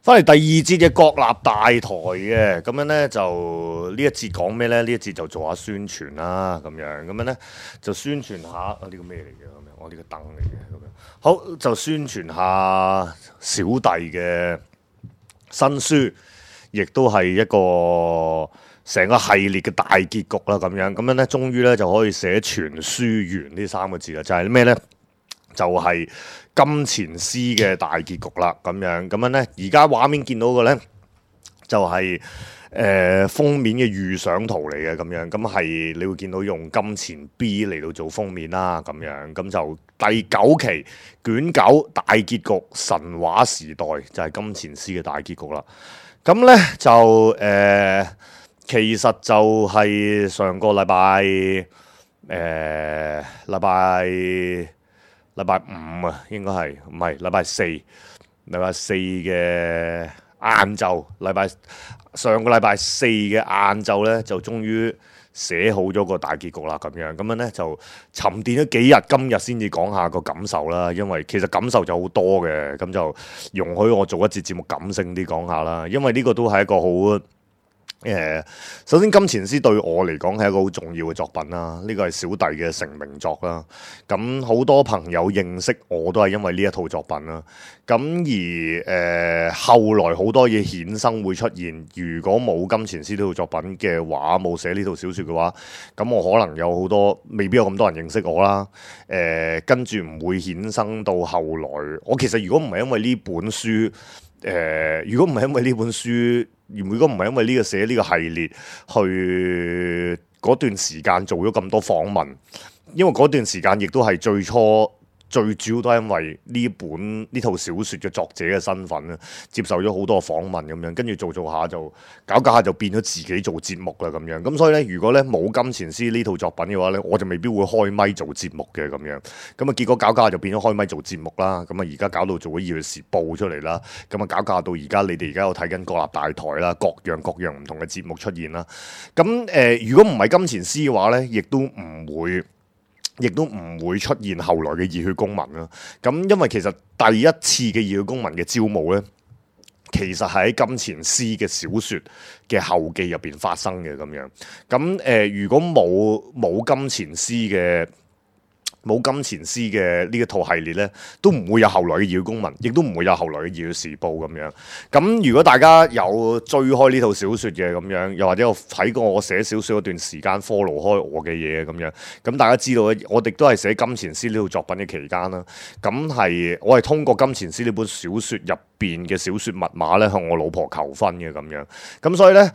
翻嚟第二節嘅國立大台嘅，咁樣咧就呢一節講咩咧？呢一節就做下宣傳啦，咁樣咧就宣傳下呢個咩嚟嘅？咁樣我呢個燈嚟嘅，咁樣好就宣傳下小弟嘅新書，亦都係一個成個系列嘅大結局啦，咁樣咧，終於咧就可以寫全書完呢三個字啦，就係咩咧？就係金錢獅嘅大結局啦，咁樣咧，而家畫面見到嘅咧就係、封面嘅預想圖嚟嘅，咁係你會見到用金錢 B 嚟到做封面啦，咁就第9期卷9大結局神話時代就係金錢獅嘅大結局啦。咁咧就其實就係上個禮拜禮拜5啊，應該係唔係禮拜4？禮拜4嘅晏晝，上個禮拜4嘅晏晝咧，就終於寫好咗個大結局啦，咁樣咧就沉澱咗幾日，今日先至講下個感受啦。因為其實感受就好多嘅，咁就容許我做一節節目感性啲講下啦。因為呢個都係一個好首先金錢獅對我嚟講係一個好重要嘅作品啦，呢個係小弟嘅成名作啦。咁好多朋友認識我都係因為呢一套作品啦。咁而後來好多嘢衍生會出現，如果冇金錢獅呢套作品嘅話，冇寫呢套小說嘅話，咁我可能有好多未必有咁多人認識我啦。跟住唔會衍生到後來，我其實如果唔係因為呢本書。如果唔係因為呢本書，如果唔係因為呢個寫呢個系列，去嗰段時間做咗咁多訪問，因為嗰段時間亦都係最主要都係因為呢套小説嘅作者嘅身份咧，接受咗好多訪問咁樣，跟住做下就搞下就變咗自己做節目啦咁樣。咁所以咧，如果咧冇金錢獅呢套作品嘅話咧，我就未必會開咪做節目嘅咁樣。咁啊結果搞下就變咗開咪做節目啦。咁啊而家搞到做咗《二月時報》出嚟啦。咁啊搞下到而家你哋而家有睇緊國立大台啦，各樣唔同嘅節目出現啦。咁如果唔係金錢獅嘅話咧，亦都唔會出現後來嘅熱血公民啦。咁因為其實第一次嘅熱血公民嘅招募咧，其實係喺金錢獅嘅小説嘅後記入邊發生嘅咁樣。咁如果冇金錢獅嘅呢一套系列咧，都唔會有後來嘅熱血公民，亦都唔會有後來嘅熱血時報咁樣。咁如果大家有追開呢套小説嘅咁樣，又或者有睇過我寫小説嗰段時間 follow 開我嘅嘢咁樣，咁大家知道咧，我哋都係寫金錢獅呢套作品嘅期間啦。咁我係通過金錢獅呢本小説入邊嘅小説密碼咧，向我老婆求婚嘅咁樣。咁所以咧，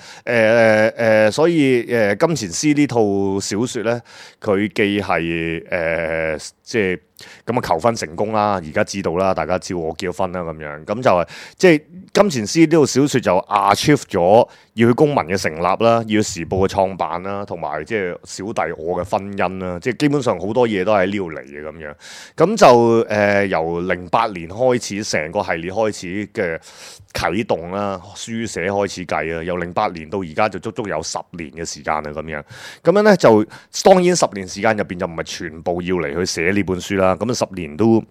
金錢獅呢套小説咧，佢既係即係咁啊求婚成功啦，而家知道啦，大家知道我結咗婚啦咁樣，咁就係即係金錢獅呢套小説就 achieve 咗熱血公民嘅成立啦，熱血時報嘅創辦啦，同埋即係小弟我嘅婚姻啦，即係基本上好多嘢都喺呢度嚟嘅咁樣。咁就由08年開始，成個系列開始嘅啟動啦，書寫開始計啊，由08年到而家就足足有10年嘅時間啦咁樣。咁樣咧就當然10年時間入邊就唔係全部要嚟去寫呢本書啦。咁10年都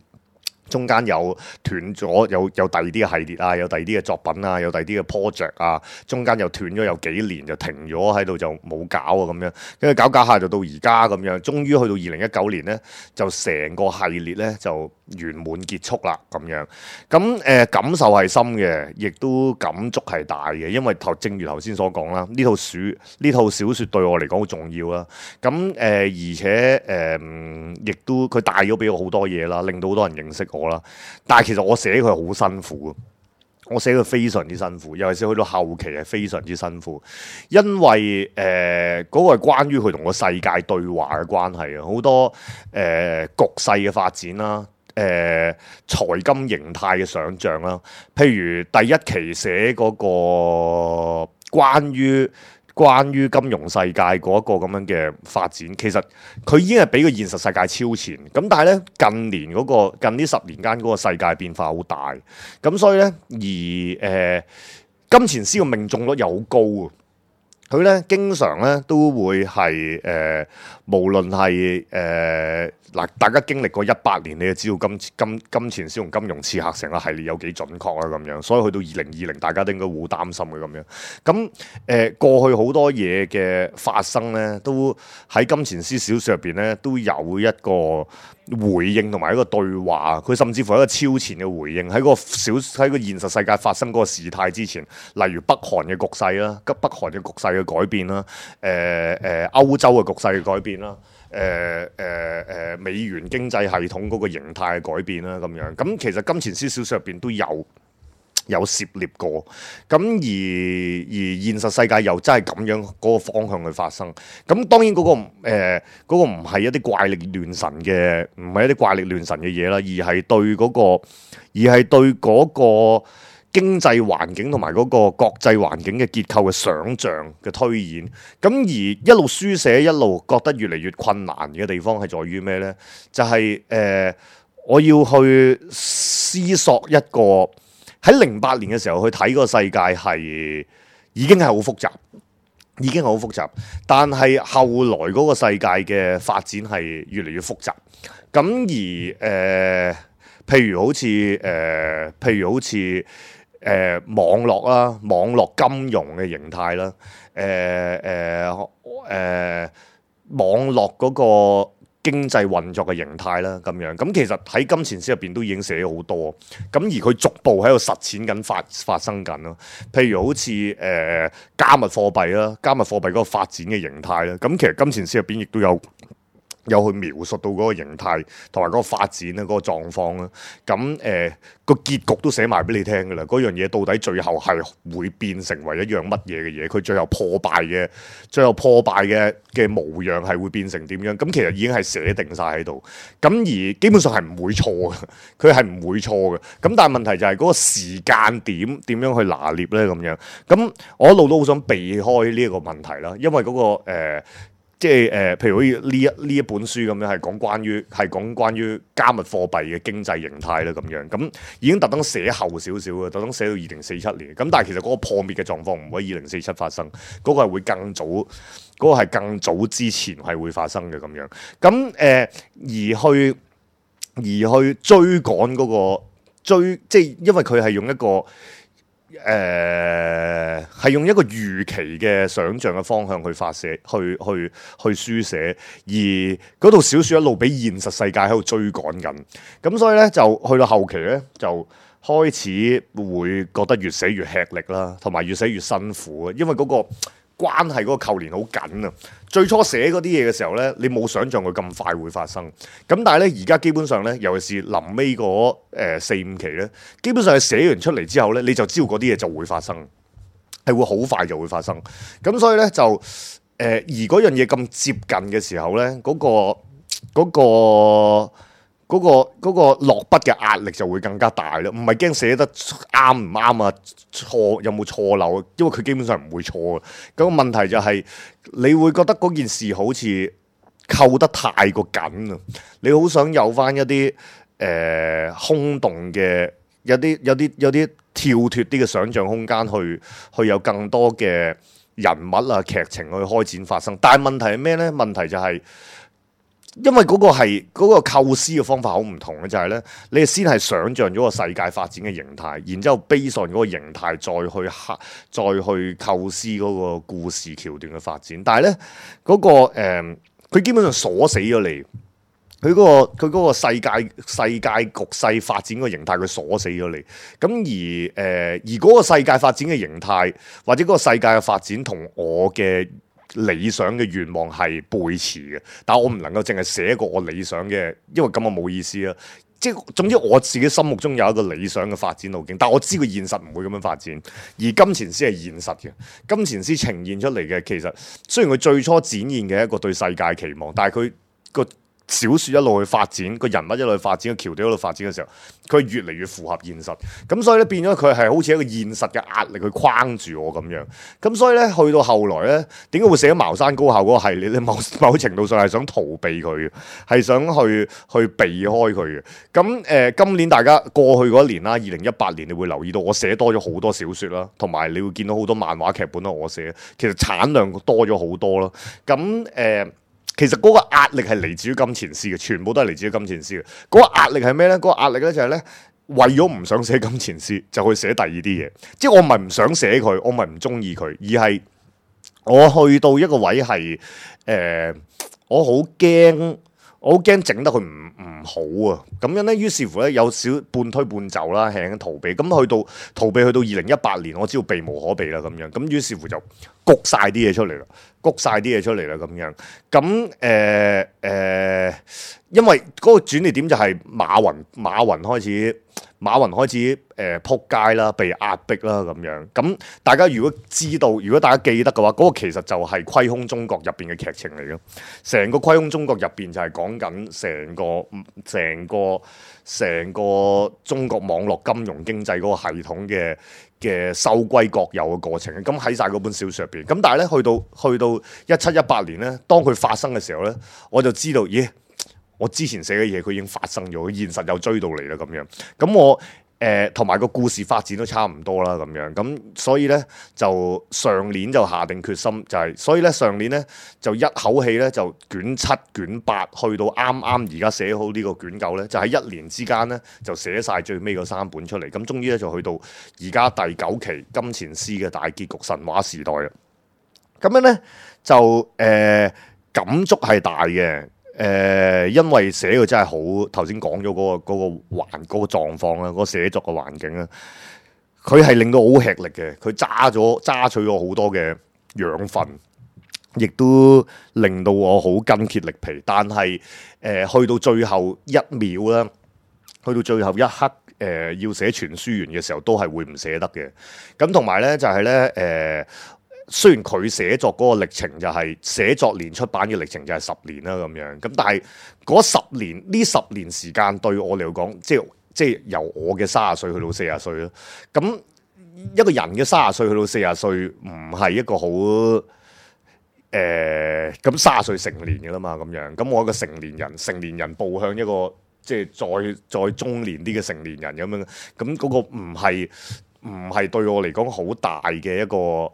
中間有斷咗，有第二啲嘅系列啊，有第二啲嘅作品啊，有第二啲嘅 project 啊，中間又斷咗有幾年就停咗喺度就冇搞啊咁樣，跟住搞下就到而家咁樣，終於去到2019年咧，就成個系列咧就圓滿結束啦咁樣。咁感受係深嘅，亦都感觸係大嘅，因為正如頭先所講啦，呢套小説對我嚟講好重要啦。咁而且亦都佢帶咗俾我好多嘢啦，令到好多人認識我啦。但係其實我寫佢好辛苦，我寫佢非常之辛苦，尤其是去到後期係非常之辛苦，因為嗰個係關於佢同個世界對話嘅關係啊，好多局勢嘅發展啦。財金形態嘅想像啦，譬如第一期寫嗰個關於金融世界嗰一個咁樣嘅發展，其實佢已經係比個現實世界超前。咁但係咧近呢10年間嗰個世界變化好大，咁所以咧而金錢獅嘅命中率又好高啊！佢咧經常咧都會係無論係嗱，大家經歷過18年，你就知道金錢師同金融刺客成個系列有幾準確啦咁樣，所以去到2020，大家都應該好擔心嘅咁樣。咁過去好多嘢嘅發生咧，都喺金錢師小說入邊咧都有一個回應同埋一個對話，佢甚至乎係一個超前嘅回應喺個現實世界發生嗰個事態之前，例如北韓嘅局勢啦，北韓嘅局勢嘅改變啦，歐洲嘅局勢嘅改變啦，美元經濟系統嗰個形態嘅改變啦，咁樣咁其實金錢師小說入邊都有涉獵過，咁而現實世界又真係咁樣嗰個方向去發生，咁當然嗰個唔係一啲怪力亂神嘅，唔係一啲怪力亂神嘅嘢啦，而係對嗰個經濟環境同埋嗰個國際環境嘅結構嘅想像嘅推演，咁而一路書寫一路覺得越嚟越困難嘅地方係在於咩呢？就係我要去思索一個。喺08年嘅時候去睇個世界係已經係好複雜，但係後來嗰個世界嘅發展係越嚟越複雜。咁而譬如好似網絡啦，網絡金融嘅形態啦，網絡嗰個經濟運作嘅形態啦，咁樣咁其實喺金錢師入邊都已經寫咗好多，咁而佢逐步喺度實踐緊發生緊咯。譬如好似加密貨幣啦，加密貨幣嗰個發展嘅形態啦，咁其實金錢師入邊亦都有去描述到嗰個形態同埋嗰個發展咧，嗰個狀況啦。咁個結局都寫埋俾你聽㗎啦。嗰樣嘢到底最後係會變成為一樣乜嘢嘅嘢？佢最後破敗嘅模樣係會變成點樣？咁其實已經係寫定晒喺度。咁而基本上係唔會錯嘅，佢係唔會錯嘅。咁但係問題就係嗰個時間點樣去拿捏咧咁樣。咁我一路都好想避開呢一個問題啦，因為嗰個即係譬如好似呢一本書咁樣，係講關於加密貨幣嘅經濟形態啦咁樣，咁已經特登寫後少少嘅，特登寫到2047年。咁但係其實嗰個破滅嘅狀況唔會喺2047發生，嗰個係會更早，嗰個係更早之前係會發生嘅咁樣。咁而去追趕嗰個即係因為佢係用一個。係用一個預期嘅想像嘅方向去發寫，去書寫，而嗰套小説一路俾現實世界喺度追趕緊，咁所以咧就去到後期咧就開始會覺得越寫越吃力啦，同埋越寫越辛苦啊，因為嗰個關係嗰個扣連好緊啊！最初寫嗰啲嘢嘅時候咧，你冇想像佢咁快會發生。咁但係咧，而家基本上咧，尤其是臨尾嗰4-5期咧，基本上係寫完出嚟之後咧，你就知道嗰啲嘢就會發生，係會好快就會發生。咁所以咧就而嗰樣嘢咁接近嘅時候咧，嗰個落筆嘅壓力就會更加大啦，唔係驚寫得啱唔啱啊，錯有冇錯漏，因為佢基本上唔會錯嘅。咁個問題就係你會覺得嗰件事好似扣得太過緊啊，你好想有翻一啲空洞嘅，有啲跳脫啲嘅想像空間去有更多嘅人物啊劇情去開展發生。但係問題係咩咧？問題就係。因為嗰個構思嘅方法好唔同嘅，就係咧，你先係想像咗個世界發展嘅形態，然之後 base on嗰個形態再去構思嗰個故事橋段嘅發展。但係咧佢基本上鎖死咗你，佢嗰個世界局勢發展嘅形態，佢鎖死咗你。咁而嗰個世界發展嘅形態，或者嗰個世界嘅發展同我嘅理想嘅願望係背馳嘅，但我唔能夠淨係寫一個我理想嘅，因為咁啊冇意思啦。即係總之我自己心目中有一個理想嘅發展路徑，但我知個現實唔會咁樣發展。而金錢師係現實嘅，金錢師呈現出嚟嘅其實雖然佢最初展現嘅一個對世界期望，但係佢個小説一路去發展，個人物一路去發展，個橋段一路發展嘅時候，佢越嚟越符合現實。咁所以咧變咗佢係好似一個現實嘅壓力去框住我咁樣。咁所以咧去到後來咧，點解會寫茅山高校嗰個系列咧？某程度上係想逃避佢嘅，係想去避開佢嘅。咁今年大家過去嗰一年啦，2018年你會留意到我寫多咗好多小説啦，同埋你會見到好多漫畫劇本都我寫，其實產量多咗好多咯。咁其實嗰個壓力係嚟自於金錢師嘅，全部都係嚟自於金錢師嘅。嗰個壓力係咩咧？嗰個壓力咧就係咧，為咗唔想寫金錢師，就去寫第二啲嘢。即係我唔係唔想寫佢，我唔係唔中意佢，而係我去到一個位係我好驚整得佢唔好啊！咁樣咧，於是乎咧有少半推半就啦，輕輕逃避。咁去到2018年，我知道避無可避啦咁樣。咁於是乎就谷晒啲嘢出嚟啦，咁樣。咁因為嗰個轉捩點就係馬雲開始撲街啦，被壓迫啦咁樣。咁大家如果大家記得嘅話，嗰個其實就係《虧空中國》入邊嘅劇情嚟嘅。成個《虧空中國》入邊就係講緊成個中國網絡金融經濟嗰個系統嘅收歸國有嘅過程。咁喺晒嗰本小説入邊。咁但係咧去到17、18年咧，當佢發生嘅時候咧，我就知道，咦？我之前寫嘅嘢佢已經發生咗，現實又追到嚟啦咁樣。咁我同埋個故事發展都差唔多啦咁樣。咁所以咧就上年就下定決心，所以咧上年咧就一口氣咧就卷7卷8，去到啱而家寫好呢個卷9咧，就喺1年之間咧就寫晒最尾嗰3本出嚟。咁終於咧就去到而家第9期金錢師嘅大結局神話時代啦。咁樣咧就感觸係大嘅。因為寫嘅真係好，頭先講咗嗰個狀況啦，嗰個寫作嘅環境啦，佢係令到我好吃力嘅，佢揸取咗好多嘅養分，亦都令到我好筋竭力疲。但係去到最後一秒啦，去到最後一刻，要寫全書完嘅時候，都係會唔捨得嘅。咁同埋咧就係咧雖然佢寫作嗰個歷程就係寫作連出版嘅歷程就係10年啦咁樣，咁但係嗰10年時間對我嚟講，即係由我嘅30歲去到40歲啦。咁一個人嘅30歲去到40歲唔係一個好咁30歲成年嘅啦嘛咁樣。咁我一個成年人步向一個即係再中年啲嘅成年人咁樣，咁嗰個唔係對我嚟講好大嘅一個。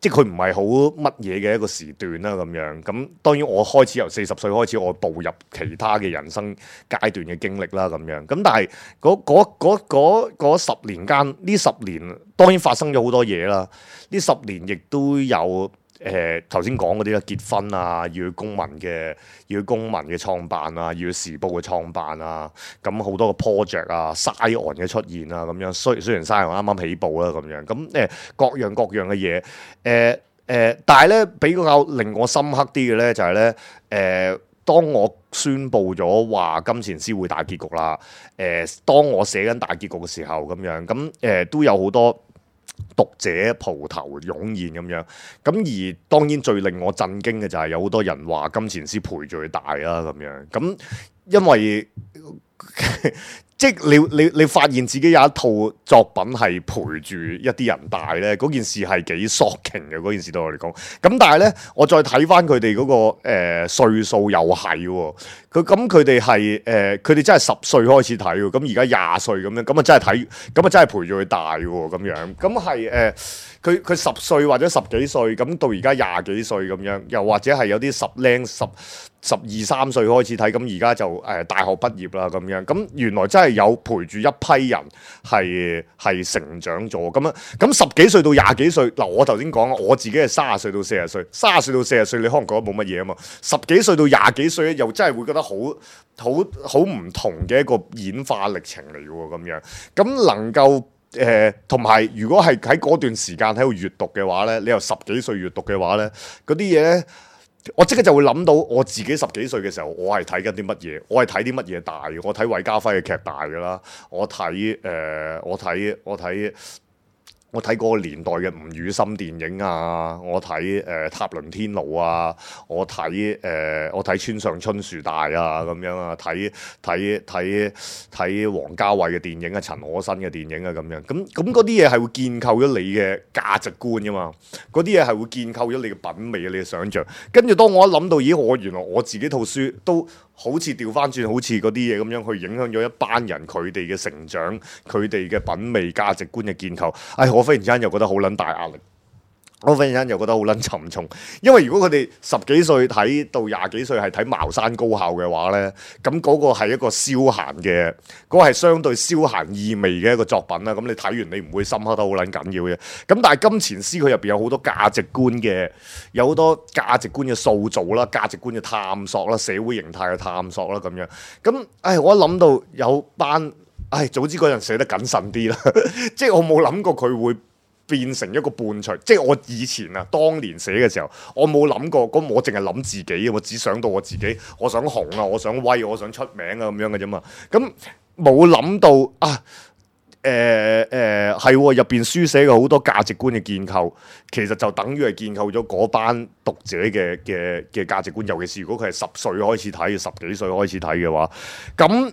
即係佢唔係好乜嘢嘅一個時段啦咁樣，咁當然我開始由40歲開始，我步入其他嘅人生階段嘅經歷啦咁樣，咁但係嗰10年間，呢10年當然發生咗好多嘢啦，呢10年亦都有頭先講嗰啲啦，結婚啊，要去公民嘅創辦啊，要去時報嘅創辦啊，咁好多個 project 啊，Scion 嘅出現啊，咁樣雖然 Scion 啱啱起步啦，咁樣咁各樣嘅嘢，但係咧比較令我深刻啲嘅咧就係咧，當我宣布咗話金錢師會大結局啦，當我寫緊大結局嘅時候咁樣，咁都有好多讀者蒲頭湧現咁樣，咁而當然最令我震驚嘅就係有好多人話金錢師陪住佢大啦咁樣，咁因為即係你發現自己有一套作品係陪住一啲人大咧，嗰件事係幾 shocking 嘅，嗰件事對我嚟講。咁但係咧，我再睇翻佢哋嗰個歲數又係喎，佢哋係佢哋真係10歲開始睇喎，咁而家20歲咁樣，咁啊真係睇，咁啊真係陪住佢大喎咁樣，咁係佢10歲或者10幾歲，咁到而家20幾歲咁樣，又或者係有啲12、13歲開始睇，咁而家就大學畢業啦咁樣，咁原來真係有陪住一批人係成長咗咁樣，咁10幾歲到20幾歲，嗱我頭先講我自己係30歲到40歲，30歲到40歲你可能覺得冇乜嘢啊嘛，10幾歲到20幾歲咧又真係會覺得好唔同嘅一個演化歷程嚟嘅喎咁樣，咁能夠同埋如果係喺嗰段時間喺度閱讀嘅話咧，你由10幾歲閱讀嘅話咧，嗰啲嘢咧。我即刻就會諗到我自己10幾歲嘅時候，我係睇緊啲乜嘢？我係睇啲乜嘢大嘅？我睇韋家輝嘅劇大㗎啦，我睇我睇嗰個年代嘅吳宇森電影啊，我睇塔倫天奴啊，我睇村上春樹大啊咁樣啊，睇王家衛嘅電影啊，陳可辛嘅電影啊咁樣，咁嗰啲嘢係會建構咗你嘅價值觀噶嘛，嗰啲嘢係會建構咗你嘅品味啊，你嘅想像。跟住當我一諗到，咦，原來我自己套書都好似調翻轉，好似嗰啲嘢咁樣去影響咗一班人佢哋嘅成長、佢哋嘅品味、價值觀嘅建構。我忽然之間又覺得好撚大壓力，我忽然間又覺得好撚沉重。因為如果佢哋10幾歲睇到20幾歲係睇茅山高校嘅話咧，咁嗰個係一個消閒嘅，嗰個係相對消閒意味嘅一個作品啦。咁你睇完你唔會深刻得好撚緊要嘅。咁但係金錢師佢入邊有好多價值觀嘅，有好多價值觀嘅塑造啦，價值觀嘅探索啦，社會形態嘅探索啦咁樣。咁我一諗到有班。早知嗰陣寫得謹慎啲啦，即係我冇諗過佢會變成一個伴隨，即係我以前啊，當年寫嘅時候，我冇諗過，咁我淨係諗自己，我只想到我自己，我想紅啊，我想威，我想出名啊咁樣嘅啫嘛，咁冇諗到啊。係入邊書寫嘅好多價值觀嘅建構，其實就等於係建構咗嗰班讀者嘅價值觀。尤其是如果佢係10歲開始睇，10幾歲開始睇嘅話，咁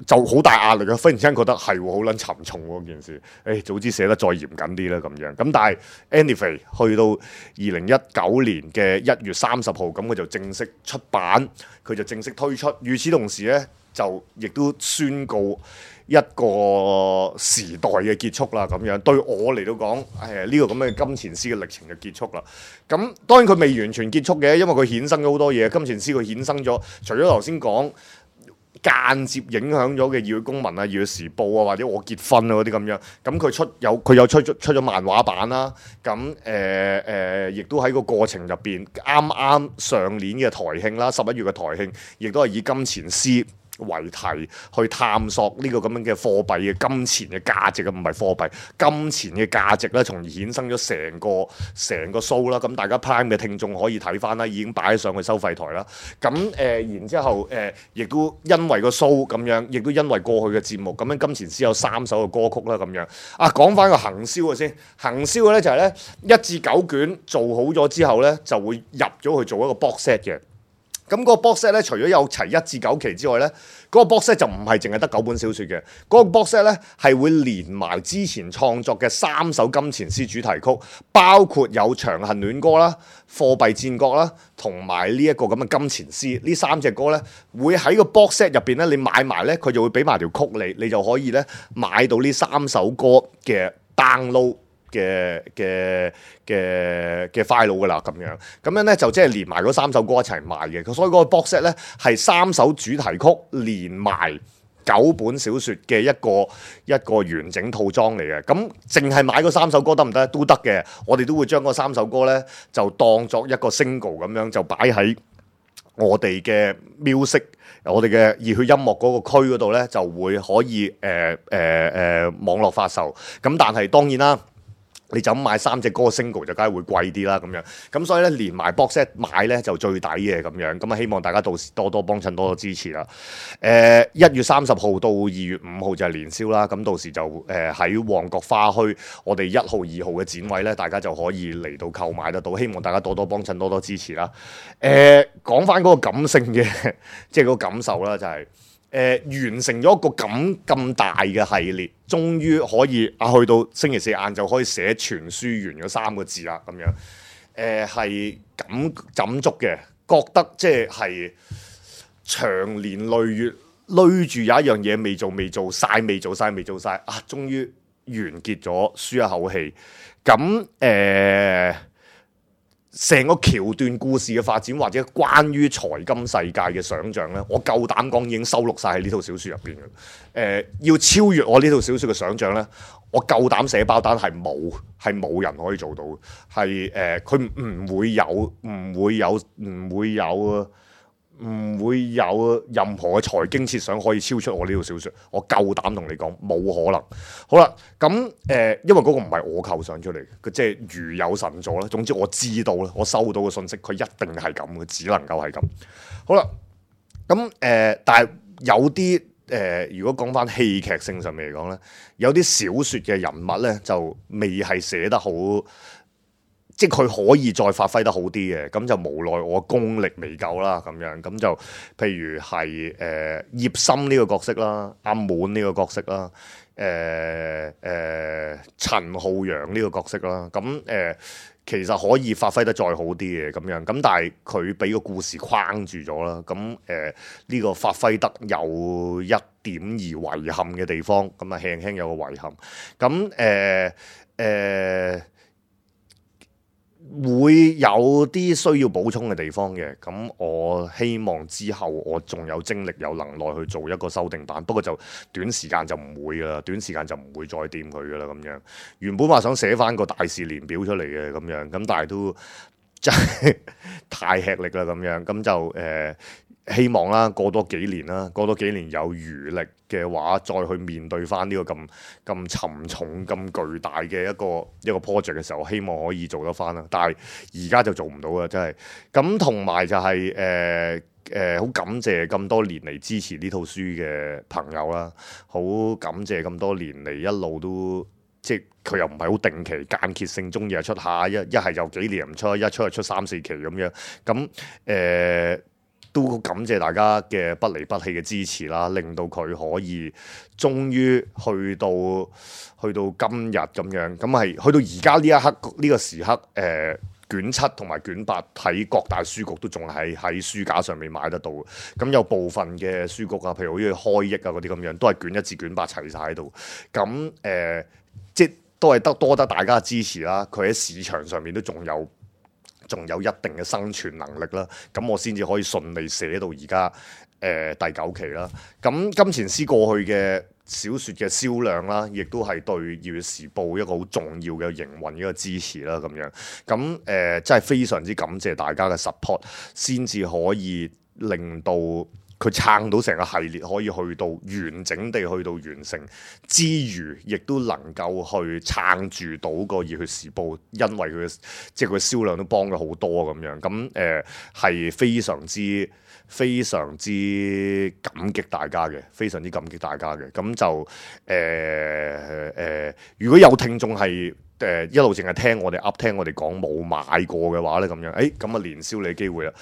就好大壓力啊！忽然之間覺得係好撚沉重喎件事。早知寫得再嚴謹啲啦咁樣。咁但係 anyway 去到2019年嘅1月30號，咁佢就正式出版，佢就正式推出。與此同時咧，就亦都宣告一個時代嘅結束啦，咁樣對我嚟到講，呢個咁嘅金錢師嘅歷程就結束啦。咁當然佢未完全結束嘅，因為佢衍生咗好多嘢。金錢師佢衍生咗，除咗頭先講間接影響咗嘅《熱血公民》啊，《熱血時報》啊，或者我結婚啊嗰啲咁樣，咁佢有出咗漫畫版啦。咁亦都喺個過程入邊，啱上年嘅台慶啦，11月嘅台慶，亦都係以金錢師為題去探索呢個咁樣嘅貨幣嘅金錢嘅價值啊，唔係貨幣金錢嘅價值啦，從而衍生咗成個 show 啦。咁大家 Prime 嘅聽眾可以睇翻啦，已經擺上去收費台啦。咁然之後亦都因為個 show 咁樣，亦都因為過去嘅節目咁樣，金錢師有3首嘅歌曲啦咁樣。講翻個行銷嘅先，行銷嘅咧就係咧1至9卷做好咗之後咧，就會入咗去做一個 box set 嘅。咁嗰個 box set 咧，除咗有齊1至9期之外咧，嗰個 box set 就唔係淨係得9本小説嘅。嗰個 box set 咧係會連埋之前創作嘅3首金錢師主題曲，包括有《長恨戀歌》啦、《貨幣戰國》啦，同埋呢一個咁嘅金錢師。呢3隻歌咧會喺個 box set 入邊咧，你買埋咧，佢就會俾埋條曲你就可以咧買到呢3首歌嘅 download。嘅 file 噶啦，咁樣咧就即係連埋嗰3首歌一齊賣嘅，所以嗰個 box set 咧係3首主題曲連埋9本小説嘅一個完整套裝嚟嘅。咁淨係買嗰3首歌得唔得？都得嘅，我哋都會將嗰3首歌咧就當作一個 single 咁樣就擺喺我哋嘅 music， 我哋嘅熱血音樂嗰個區嗰度咧就會可以網絡發售。咁但係當然啦。你就咁買3隻歌 single 就梗係會貴啲啦，咁樣咁所以咧連埋 box set 買咧就最抵嘅咁樣，咁希望大家到時多多幫襯，多多支持啦。1月30號到2月5號就係年宵啦，咁到時就喺旺角花墟我哋1號、2號嘅展位咧，大家就可以嚟到購買得到，希望大家多多幫襯，多多支持啦。講翻嗰個感性嘅即係嗰個感受啦，就係。完成咗一個咁大嘅系列，終於可以去到星期4晏晝可以寫全書完嗰3個字啦，咁樣係感觸嘅，覺得即係長年累月累住有一樣嘢未做晒，終於完結咗，舒一口氣。咁成個橋段故事嘅發展，或者關於財金世界嘅想像咧，我夠膽講已經收錄晒喺呢套小説入邊嘅。要超越我呢套小説嘅想像咧，我夠膽寫包單係冇人可以做到嘅。係佢唔會有任何嘅財經設想可以超出我呢套小説，我夠膽同你講冇可能。好啦，咁因為嗰個唔係我構想出嚟嘅，即係如有神助啦。總之我知道啦，我收到嘅信息，佢一定係咁嘅，只能夠係咁。好啦，咁但係有啲如果講翻戲劇性上面嚟講咧，有啲小説嘅人物咧就未係寫得好，即係佢可以再發揮得好啲嘅，咁就無奈我功力未夠啦咁樣，咁就譬如係葉森呢個角色啦，阿滿呢個角色啦，陳浩陽呢個角色啦，咁其實可以發揮得再好啲嘅咁樣，咁但係佢俾個故事框住咗啦，咁呢個發揮得有一點而遺憾嘅地方，咁啊輕輕有個遺憾，咁會有啲需要補充嘅地方嘅，咁我希望之後我仲有精力有能耐去做一個修訂版，不過就短時間就唔會噶啦，短時間就唔會再掂佢噶啦咁樣。原本話想寫翻個大事年表出嚟嘅咁樣，咁但係都真係太吃力啦咁樣，咁就希望啦，過多幾年啦，過多幾年有餘力嘅話，再去面對翻呢個咁沉重、咁巨大嘅一個 project 嘅時候，希望可以做得翻啦。但係而家就做唔到啦，真係。咁同埋就係好感謝咁多年嚟支持呢套書嘅朋友啦，好感謝咁多年嚟一路都即係佢又唔係好定期間歇性中意出下，一係又幾年唔出，一出就出3-4期咁樣。咁都感謝大家嘅不離不棄嘅支持啦，令到佢可以終於去到今日咁樣，咁係去到而家呢一刻呢個時刻，卷7同埋卷8喺各大書局都仲係喺書架上面買得到。咁有部分嘅書局啊，譬如好似開益啊嗰啲咁樣，都係卷1至卷8齊晒喺度。咁即都係多得大家支持啦。佢喺市場上面都仲有一定嘅生存能力啦，咁我先至可以順利寫到而家第9期啦。咁金錢師過去嘅小説嘅銷量啦，亦都係對《粵語時報》一個好重要嘅營運一個支持啦。咁樣咁真係非常之感謝大家嘅 support，先至可以令到佢撐到成個系列可以去到完整地去到完成之餘，亦都能夠去撐住到個《熱血時報》，因為佢即係佢銷量都幫咗好多咁樣，咁係非常之感激大家嘅，非常之感激大家嘅。咁就如果有聽眾係一路淨係聽我哋聽我哋講冇買過嘅話咧，咁樣咁啊連銷你機會啦。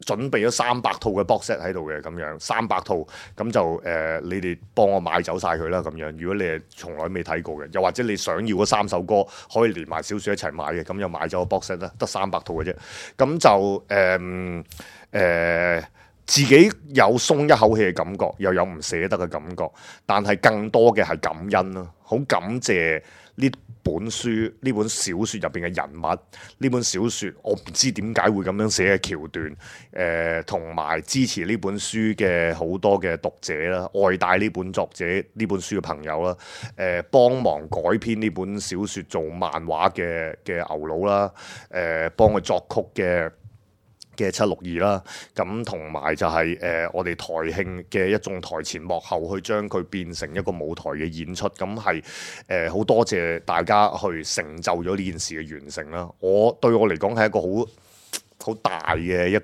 準備咗300套嘅 box set 喺度嘅咁樣，300套咁就你哋幫我買走晒佢啦咁樣。如果你係從來未睇過嘅，又或者你想要嗰3首歌可以連埋小説一齊買嘅，咁又買咗個 box set 啦，得300套嘅啫。咁就自己有鬆一口氣嘅感覺，又有唔捨得嘅感覺，但係更多嘅係感恩咯，好感謝呢本書呢本小説入邊嘅人物，呢本小説我唔知點解會咁樣寫嘅橋段，同埋支持呢本書嘅好多嘅讀者啦，愛戴呢本作者呢本書嘅朋友啦，幫忙改編呢本小説做漫畫嘅牛佬啦，幫佢作曲嘅762啦，咁同埋就係我哋台慶嘅一眾台前幕後去將佢變成一個舞台嘅演出，咁係好多謝大家去成就咗呢件事嘅完成啦。對我嚟講係一個好大嘅一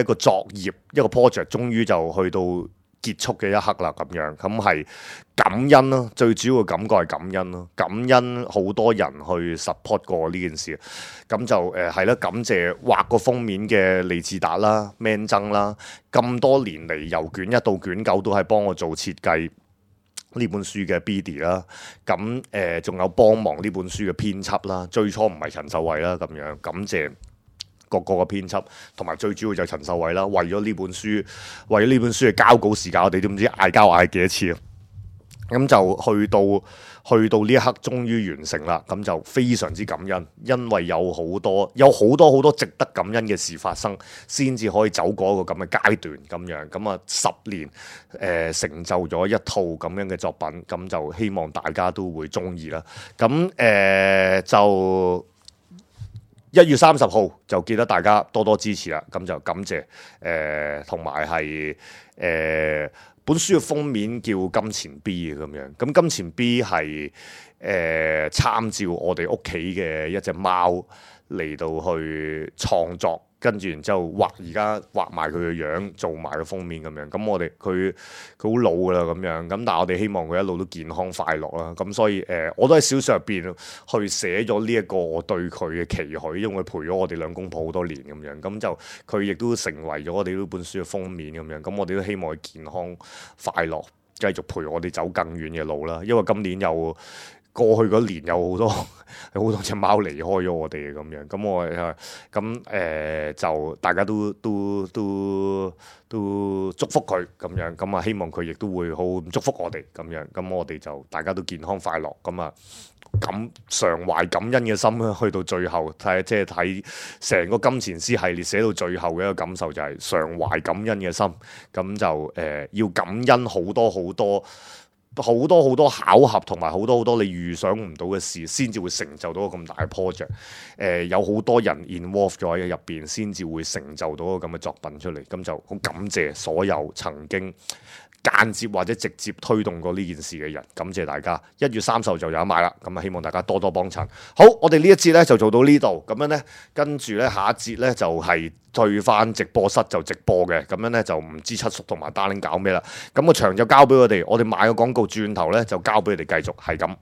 個作業，一個 project，終於就去到結束嘅一刻啦，咁樣咁係感恩咯，最主要嘅感覺係感恩咯，感恩好多人去 support 過呢件事，咁就係啦，感謝畫個封面嘅利志達啦、Man 曾啦，咁多年嚟由卷1到卷9都係幫我做設計呢本書嘅 BD 啦，咁仲有幫忙呢本書嘅編輯啦，最初唔係陳秀慧啦，咁樣感謝各個嘅編輯，同埋最主要就係陳秀慧啦。為咗呢本書嘅交稿時間，我哋都唔知嗌交嗌幾多次啊！咁就去到呢一刻，終於完成啦。咁就非常之感恩，因為有好多值得感恩嘅事發生，先至可以走過一個咁嘅階段咁樣。咁啊10年成就咗一套咁樣嘅作品，咁就希望大家都會中意啦。咁就1月30號就記得大家多多支持啦，咁就感謝同埋係本書嘅封面叫金錢 B 嘅咁樣，咁金錢 B 係參照我哋屋企嘅一隻貓嚟到去創作跟住然之後而家畫埋佢嘅樣，做埋個封面咁樣。咁我哋佢好老噶啦咁樣，咁但係我哋希望佢一路都健康快樂啦。咁所以我都喺小說入邊去寫咗呢一個我對佢嘅期許，因為佢陪咗我哋兩公婆好多年咁樣。咁就佢亦都成為咗我哋呢本書嘅封面咁樣。咁我哋都希望佢健康快樂，繼續陪我哋走更遠嘅路啦。因為今年又過去嗰年有好多隻貓離開咗我哋咁樣，咁我就大家都祝福佢咁樣，咁啊希望佢亦都會好祝福我哋咁樣，咁我哋就大家都健康快樂，咁啊常懷感恩嘅心去到最後睇成個金錢師系列寫到最後嘅一個感受就係常懷感恩嘅心，咁就要感恩好多巧合同埋好多你預想唔到嘅事，先至會成就到個咁大嘅 project。有好多人 involve 咗喺入邊，先至會成就到個咁嘅作品出嚟。咁就好感謝所有曾經間接或者直接推動過呢件事嘅人，感謝大家。1月30號就有得買啦，咁啊希望大家多多幫襯。好，我哋呢一節咧就做到呢度，咁樣咧跟住咧下一節咧就係退翻直播室就直播嘅，咁樣咧就唔知七叔同埋 Darling 搞咩啦。咁個場就交俾我哋賣個廣告，轉頭咧就交俾你哋繼續係咁。